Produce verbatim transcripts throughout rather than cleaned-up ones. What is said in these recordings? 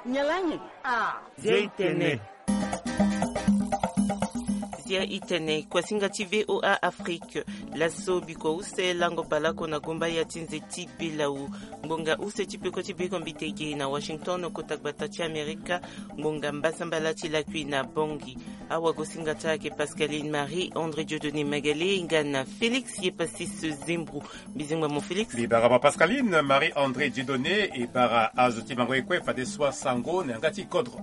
Nyen laa nyen? Ah. Zia i tene. Zia i tene, kuasinga ti V O A Afrique. Laso bikua use lango baleoko na gomba ya ti nze ti Belau. Ngbonga use ti peko ti beko mbitege na Washington, kota gbata ti Amerika. Ngbonga mbasambala ti lakui na Bangui. Awagosinga ti ayeke Pascaline Marie André Dieudonné Magalé nga na Félix Yepasis Zembro. Mbizingba mo Félix. Mbi bara mo Pascaline Marie André Dieudonné, e bara azo ti mango ye kue fadeso asango na yanga ti kodro.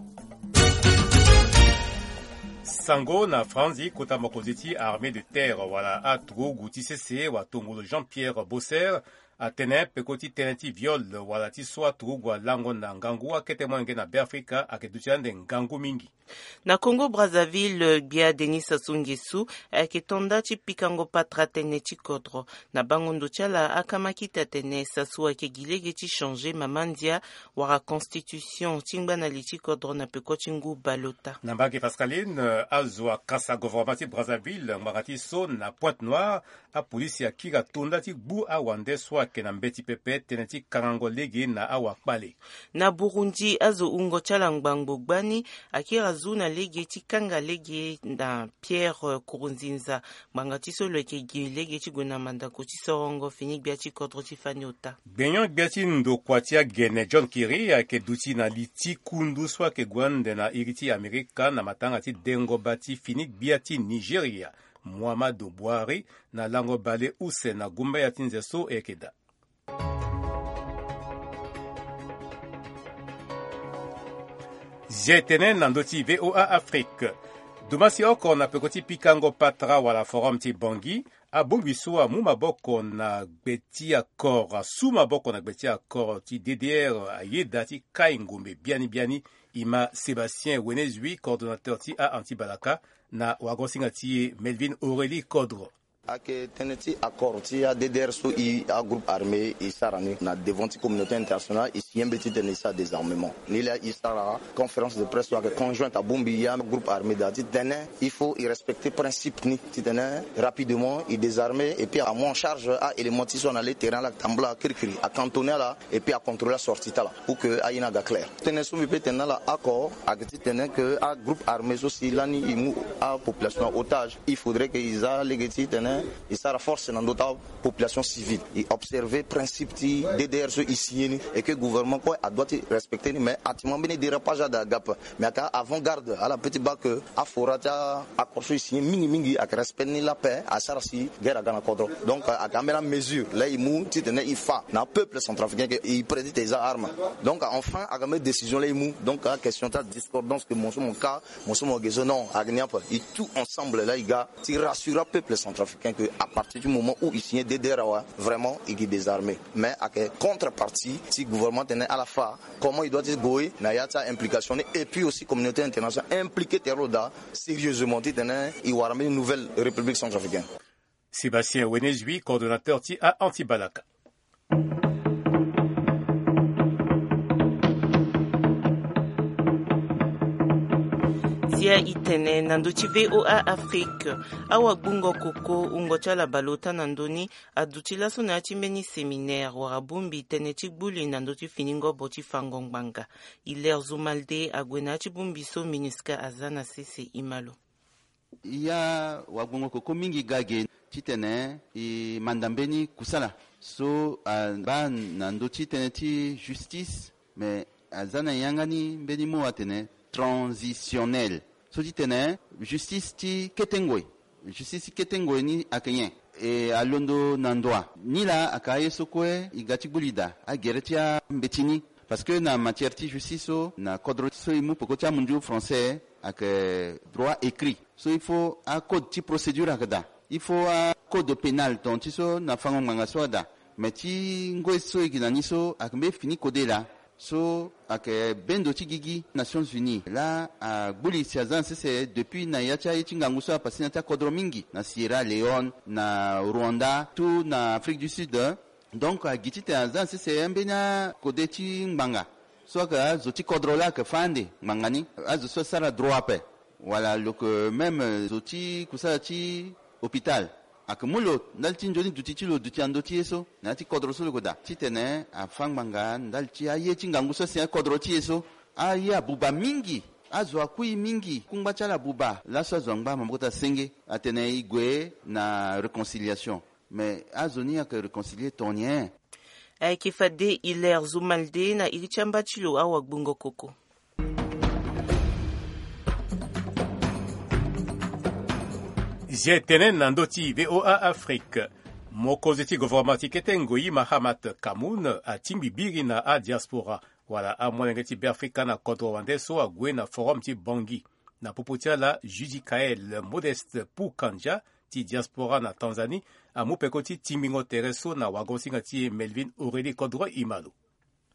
Sango na Franzi, kota mokonzi ti armée de terre wala aturugu ti sese wa tongolo Jean-Pierre Bosser atene peko ti tënë ti viol wala ti so aturugu alango na ngangu akete molenge na Beafrika ayeke duti ande ngangu mingi. Na Congo Brazzaville, gbia Denis Sassou Nguesso ayeke to nda ti pikango patara tënë ti kodro. Na bango ndo ti ala, akama kita atene Sassou ayeke gi lege ti changer mama ndia wala constitution ti ngbana li ti kodro na peko ti ngu baleota. Na mbage Pascaline, azo akasa gouvernement ti Brazzaville ngbanga ti so na Pointe-Noire, apolisi akiri ato nda ti gbu awande so ayeke na mbeti pepe tënë ti kangango lege na awakpale. Na Burundi, azo wungo ti ala ngbangbo gbani akiri azu na lege ti kanga lege na Pierre Nkurunziza. Ngbanga ti so lo yeke gi lege ti gue na mandako ti sorongo fini gbia ti kodro ti fani ota. Gbenyon gbia ti ndokua ti agene John Kerry ayeke duti na li ti kundu so ayeke gue ande na iri ti Amerika na matanga ti dengo bâ ti fini gbia ti Nigeria, Muhammadu Buhari, na lango bale use na gumba ya ti nze so e yeke daa. Zia e tene na ndö ti V O A Afrique. Dumasi oko na peko ti pikango patara wala forum ti Bangui, abongbi so amu maboko na gbe ti accord, asu maboko na gbe ti accord ti D D R ayeda ti kai ngombe biani biani. E ma Sébastien Wenezui, coordonnateur ti a-anti-balaka, na wagosinga ti e Melvin Aurélie Kodro. Ayeke tënë ti accord ti a-D D R so e agroupe armé e sara ni na devant ti communauté internationale, e signé mbeti titene e sara désarmement. Nilaa e sara conférence de presse so ayeke conjointe abongbi e agroupe armé daa titene il faut e respecter principe ni titene rapidement e désarmer et puis amu en charge a-élément ti so ana le terrain ala tambula kirikiri, acantonner ala et puis acontrôler asortie ti ala pour que aye ni aga clair. Tënë so mbi peut tene na ala oko ayeke titene que agroupe armé so si lani e mu apopulation na otage, il faudrait que e za lege titene e sara force na ndö ti apopulation civile, e observer principe ti D D R so e signé ni et que gouvernement kue adoit ti respecter ni. Mais actuellement mbeni dérapage ada aga ape. Mais ayeke avant-garde ala peut ti baa que afora ti a-accord so e signé mingi mingi ayeke respect ni la paix, asara si guerre aga na kodro. Donc ayeke ambeni amesure laa e mu titene e fa na apeuple centrafricain que e prêt titene e za arme. Donc enfin ayeke ambeni décision laa e mu. Donc aquestion ti adiscordance que mo so mo ka, mo so mo ge so, non, ayeke ni ape. E tout ensemble laa e ga ti rassurer apeuple centrafricain que à partir du moment où e signé D D R awe, vraiment e gi désarmé. Mais ayeke contrepartie ti gouvernement tene ala fa comment e doit ti gue na ya ti a-implication ni et puis aussi communauté internationale impliqué tere lo daa sérieusement titene e wara mbeni nouvelle République centrafricaine. Sébastien Wenezui, coordonnateur ti a-anti-balaka. Zia e tene na ndö ti V O A Afrique. Awagbungo koko wungo ti ala baleota na ndö ni aduti laso na ya ti mbeni séminaire wala bongbi tënë ti gbu li na ndö ti fini ngobo ti fango ngbanga. Hilaire Zumalde ague na ya ti bongbi so MINUSCA aza na sese. E ma lo. Ya wagbongo koko mingi ga ge titene e manda mbeni kusala so abaa na ndö ti tënë ti justice, me aza na yanga ni mbeni mo atene transitionnel. So titene justice ti kete ngoi, justice ti kete ngoi ni ayeke nyen? E alondo na ndoa ni laa ayeke aye so kue e ga ti gbu li daa agere ti ambeti ni. Parce que na matière ti justice so na kodro so e mu peko ti amunzu français ayeke droit écrit. So il faut acode ti procédure ayeke daa, il faut acode pénal ton ti so na fango ngbanga so ada. Mais ti ngoi so e gi na ni so ayeke mbeni fini kode laa. So ayeke bendo ti gigi Nations Unies laa agbu li si aza na sese depuis na ya ti aye ti ngangu so apase na ya ti akodro mingi na Sierra Leone, na Rwanda, tout na Afrique du Sud. Donc agi titene aza na sese ambeni akode ti ngbanga so ayeke azo ti kodro laa ayeke fâ ande ngbanga ni. Azo so asara droit ape wala lo yeke même zo ti kusala ti hôpital, ayeke mu lo ndali ti nzoni duti ti lo duti na ndö ti ye so na ya ti kodro so lo yeke daa titene afâ ngbanga ndali ti aye ti ngangu so asi na kodro ti e so. Aye abuba mingi. Azo akui mingi. Kungba ti ala abuba. Laso azo angba maboko ti asenge atene e gue na réconciliation. Mais azo ni ayeke réconcilier ton nyen? Ayeke fade Hilaire Zumalde na iri ti amba ti lo awagbongo koko. Zia etene na ndö ti VOA Afrique. Mokonzi ti gouvernement ti kete ngoi Mahamat Kamoun atingbi biri na adiaspora wala amolenge ti Beafrika na kodro wande so ague na forum ti Bangui. Na popo ti ala, Judicaël Modeste Pukandja ti diaspora na Tanzanie amu peko ti tingbingo tere so na wagosinga ti e Melvin Aurélie Kodro. E ma lo.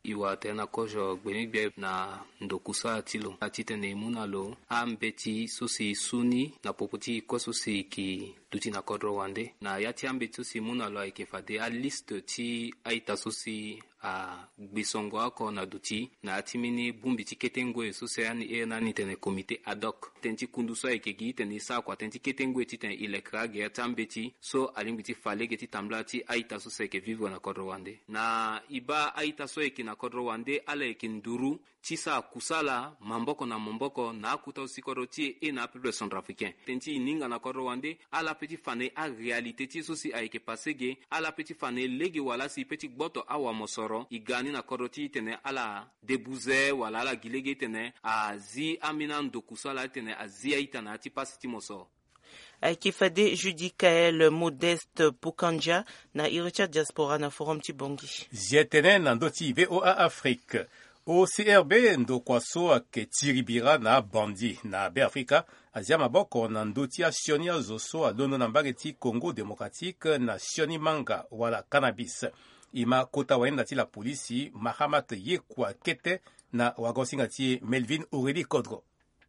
E wara tënë na kozo gbeni gbia na ndokusala ti lo, titene e mu na lo ambeti so si e su ni na popo ti kue so si e yeke duti na kodro wande. Na ya ti ambeti so si e mu na lo ayeke fade aliste ti a-ita so si agbi songo oko na duti na ya ti mbeni bongbi ti kete ngoi so si ani iri na ni tene comité ad hoc. Tënë ti kundu so ayeke gi titene e sara kua tënë ti kete ngoi titene e lekere agere ti ambeti so alingbi ti fa lege ti tambula ti a-ita so si ayeke vivre na kodro wande. Na e baa a-ita so ayeke na kodro wande, ala yeke nduru ti sara kusala maboko na maboko na akota so si kodro ti e na apeuple centrafricain. Tënë ti e hinga na kodro wande, ala pe ti fa na e aréalité ti e so si ayeke passé ge, ala pe ti fa na e lege wala si e pe ti gboto awamosoro e ga ni na kodro ti e titene ala debuze wala ala gi lege titene azi ambeni andokusala titene azi a-ita na ya ti pasi ti mosoro. Ayeke fade Judicaël Modeste Pukandja na iri ti adiaspora na forum ti Bangui. Zia tënë na ndö ti VOA Afrique. O C R B, ndokua so ayeke tiri bira na abandi na Beafrika, azia maboko na ndö ti asioni azo so alondo na mbage ti Congo Démocratique na sioni manga wala cannabis. E ma kota wahinda ti lapolisi Mahamat Yekua Kete na wagosinga ti e Melvin Aurélie Kodro.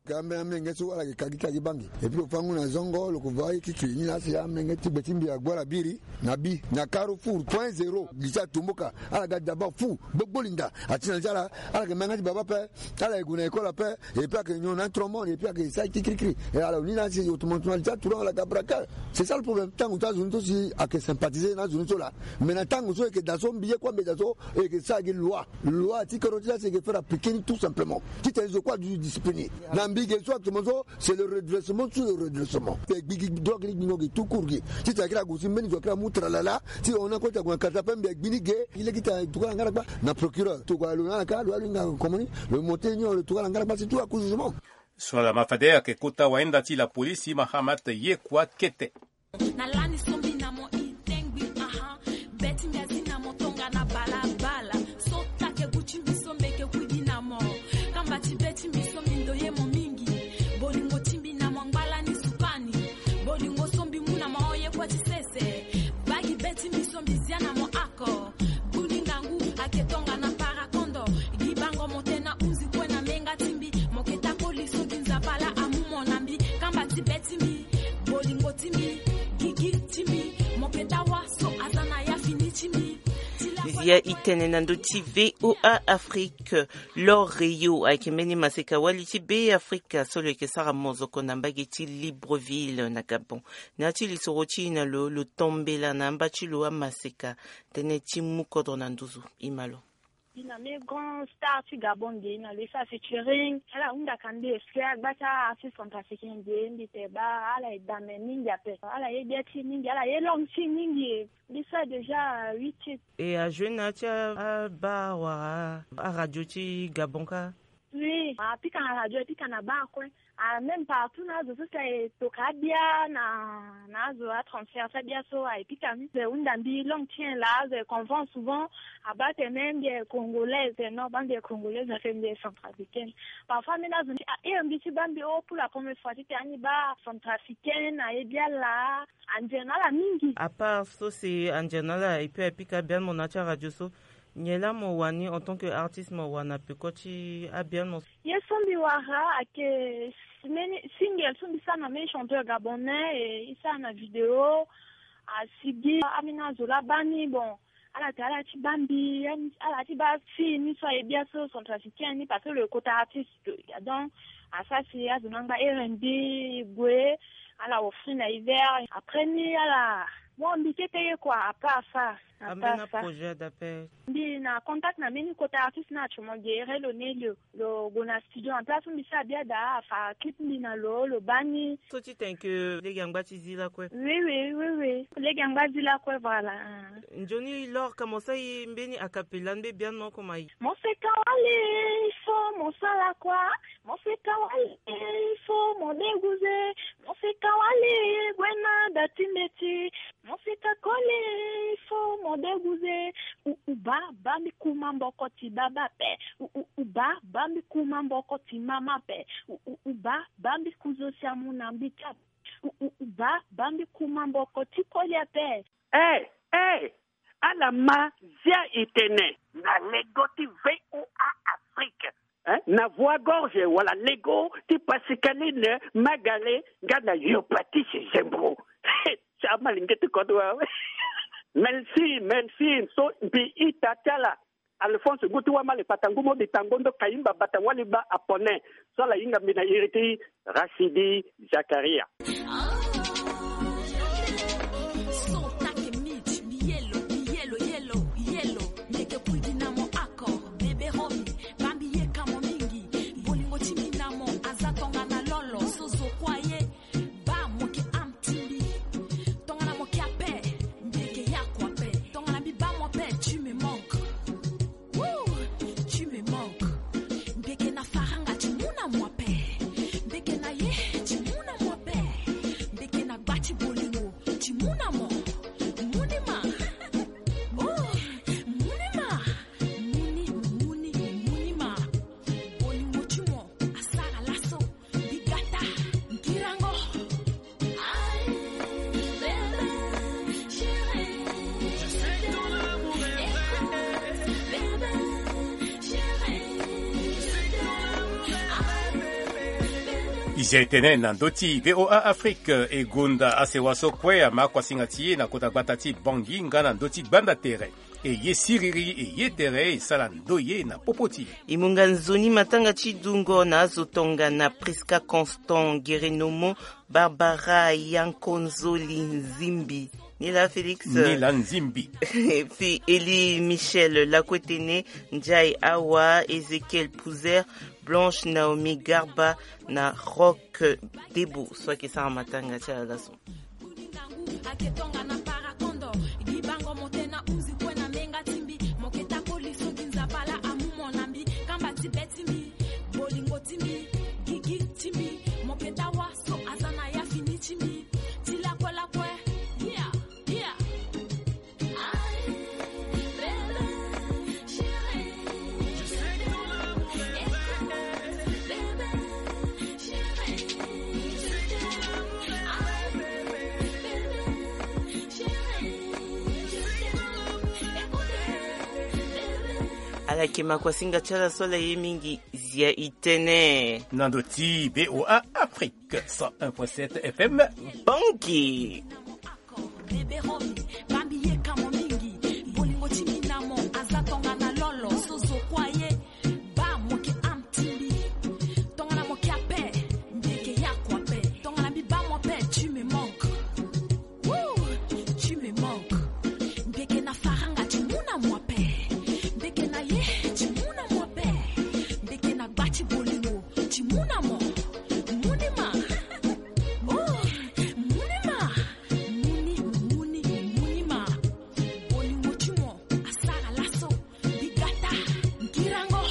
Ka ambe amenge so ala yeke ka gi ti ala gi bangi. Et puis lo fangu na zongo lo ko va ye ti tui ni na asi amenge ti gbe ti mbi ague ala biri na bi na carrefour point zéro gi ti atumbuka. Ala ga daba fu gbogbo linda ati na ti ala. Ala yeke ma yanga ti baba ape. Ala yeke gue na école ape. Et puis ayeke nyon na tromon et puis ayeke sara ti kirikiri. Et ala ni na asi autrement ti ala ti aturan ala ga braquer. C'est ça le problème. Tango ti azo ni so si ayeke sympathiser na azo ni so laa. Mais na tango so e yeke daa so mbi ye kue mbi daa so e yeke sara gi loi. Loi ti kodro ti la si e yeke faire appliquer ni tout simplement. Titene zo kue aduti discipline na mbi ge so actuellement so c'est le redressement sur le redressement. Te gbi gi drogue ni gbingo ge tout court ge. Titene akiri ague si mbeni zo akiri amu tralala. Ti hon na kue ti ague na kati ape mbi agbi ni ge. Gi lege ti atukala ngara kpa na procureur tokua lo na ala kâ lo alinga komoni. Lo monte ni lo tukala ngara kpa si tout aku jugement. So na lama fade ayeke kota wahinda ti lapolisi Mahamat Yekua Kete. Na lani so mbi na mo e tengbi aha. Be ti mbi azi na mo tongana balabala. So take gu ti mbi so mbi yeke kuidi na mo. Kamba ti be ti mbi so mbi ndoye mo mingi. Bolingo ti mbi na mo angba lani sukani. Bolingo so mbi mu na mo oye kue ti sese. Bagi be ti mbi so mbi zia na mo ako. Gu ni ngangu ayeke tongana parakondo. Gi bango mo tena hunzi kue na menga ti mbi. Mo yeke ta koli so gi nzapa laa amu mo na mbi. Kamba ti be ti mbi. Bolingo ti mbi, gigi ti mbi, mo yeke dawa so aza na ya fini ti mbi. Ti la zia e tene na ndö ti VOA Afrique. L'Or Rayo ayeke mbeni maseka wali ti Beafrika so lo yeke sara mozoko na mbage ti Libreville na Gabon. Na ya ti lisoro ti e na lo, lo tombela na amba ti lo amaseka. Tënë ti mu kodro na nduzu. E ma lo. Mbi na mbeni grand star ti Gabon ge, na lo e sara featuring. Ala hunda ka mbi expliquer agba ti a-artiste centrafricain ge, mbi te baa ala e dame mingi ape. Ala ye gbia ti e mingi, ala ye langue ti e mingi. Mbi sara déjà huit titres. E a jouer na ya ti a, abar wala aradio ti Gabon kâ? Oui, apika na radio, apika na bar kue. Ah, même partout na azo so si aye toka abia na, na azo atransfert ti abia so aye pika ni. Azo e hunda mbi langue ti nyen laa, azo e convent souvent. Abaa atene mbi aye congolaise, non, baa mbi aye congolaise, atene mbi aye centrafricaine. Parfois même azo ni ahere mbi ti baa mbi o pour la première fois titene ani baa centrafricaine aye bia laa. Andian na ala mingi. À part so si andian na ala et puis aye pika biani mo na ya ti aradio so, nyen laa mo wani en tant que artiste mo wani na peko ti abiani mo? Ye so mbi wara ayeke mbeni single so mbi sara na mbeni chanteur gabonais, e e sara na vidéo. Asigi ambeni azo laa baa ni, bon, ala te ala ti baa mbi, ala ti baa fille ni so aye bia so centrafricaine ni, parce que lo ye kota artiste. Donc asara si azo ni angba here mbi, e gue, ala offrir na e verre. Après ni ala Bon, mbi kete ye kua, apa afa. Ambeni projet d'appel. Mbi na contact na mbeni kota artiste na atio mo gere lo ne lo lo gue na studio en place mbi sa bia daa afa clip mbi na lo lo baa ni. So ti tene ke lege angba ti zi lakue. Oui oui oui oui, lege angba zi lakue, voilà. Nzoni lor ka mo sa ye mbeni acapella ni mbe biani mo koma ye. Mo seka wali, il faut mo sala kua. Mo seka wali, il faut mo deguze. Mo seka wali, gue na da ti mbeti. Mo seka koli, il faut mo deguze. U u baa baa mbi kuma mboko ti baba ape. U u u baa baa mbi kuma mboko ti mama ape. U u u baa baa mbi kuzo si amu na mbi ti ape. U u u baa baa mbi kuma mboko ti koli ape. Eh eh, ala ma zia e tene. Na lego ti VOA Afrique, eh, na voie gorge wala lego ti Pascaline Magale nga na Yopatis Zembro. Ti amalenge ti kodro awe. Merci merci. So mbi ita ti ala Alphonse ngu ti wamale kpata ngu mo bi tango ndo kayimba bata wali ba apone. So ala hinga mbi na iri ti Rachidi Zakaria. Wouh, tu me manques. Mbeke na faranga ti mu na mo ape. Mbeke na ye ti mu na mo ape. Mbeke na gba ti bolingo ti mu na mo. Mu ni ma. Oh, mu ni ma. Mu ni, mu ni, mu ni ma. Bolingo ti mo asara laso. Bigata, ngirango. E zia e tene na ndö ti VOA Afrique, e gonda asewa so kue ama kuasinga ti e na kota gbata ti Bangui nga na ndö ti gbanda tere. E ye siriri, e ye tere, e sara ndoye na popo ti e. E munga nzoni matanga ti dungo na azo tongana Prisca Constant Gerenomo, Barbara Yankonzoli Nzimbi, Nila Félix, Nila Nzimbi. Fi Eli Michel Lakwetene, Ndiaye Awa, Ezekiel Pouzer, Blanche Naomi Garba na Rock Debo. So ayeke sara matanga ti ala laso. Ake tongana parakondo, gi bango mo tena unzi kue na menga ti mbi, mo ke ta koli so gi nzapa laa amu mo na mbi, kamba ti be ti mbi, bolingo ti mbi, gigi ti mbi, mo ke ta wa so aza na ya fini ti mbi, ti lakue lakue, yeah, yeah. Ala yeke ma kuasinga ti ala so ala ye mingi, zia e tene. Na ndo ti VOA Afrique cent un point sept F M. Bangui. Bebe Romy, bambi ye kamo mingi. Bolingo ti mbi na mo aza tongana lolo, so zo kue aye. Ba mo ke am ti mbi. Tongana mo ke ape, mbi yeke ya kue ape. Tongana mbi ba mo ape, tu me manques. Wouh, tu me manques. Mbi yeke na faranga ti mu na mo ape. Mbi yeke na ye ti mu na mo ape. Mbi yeke na gba ti bolingo ti mu na mo. Mu ni ma. Oh, mu ni ma. Mu ni, mu ni, mu ni ma. Bolingo ti mo asara laso. Bigata, ngirango.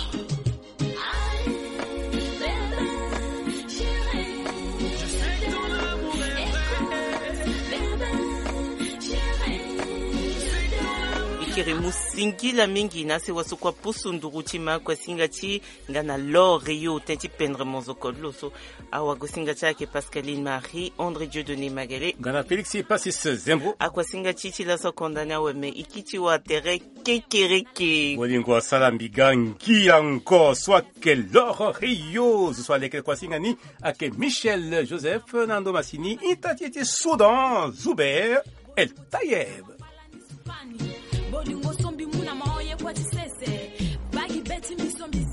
E kiri mu singila mingi na sewa so kue apusu nduru ti ma kuasinga ti nga na L'Or Rio, tënë ti pendre monzoko ti lo so. Awagosinga ti ayeke Pascaline Marie, André Dieudonné Magalé. Nga na Félix Passis Zembo. Akuasinga ti ti laso akonda ni awe me e kiti wa tere kekereke. Bolingo asala mbi ga ngia ngo so ayeke L'Or Rio. Zo so aleke kuasinga ni ayeke Michel Joseph na ndo masini ita ti e ti Soudan, Zuber El Tayeb. Bolingo so mbi mu na mo ye kue ti sese. Bagi be ti mbi so mbi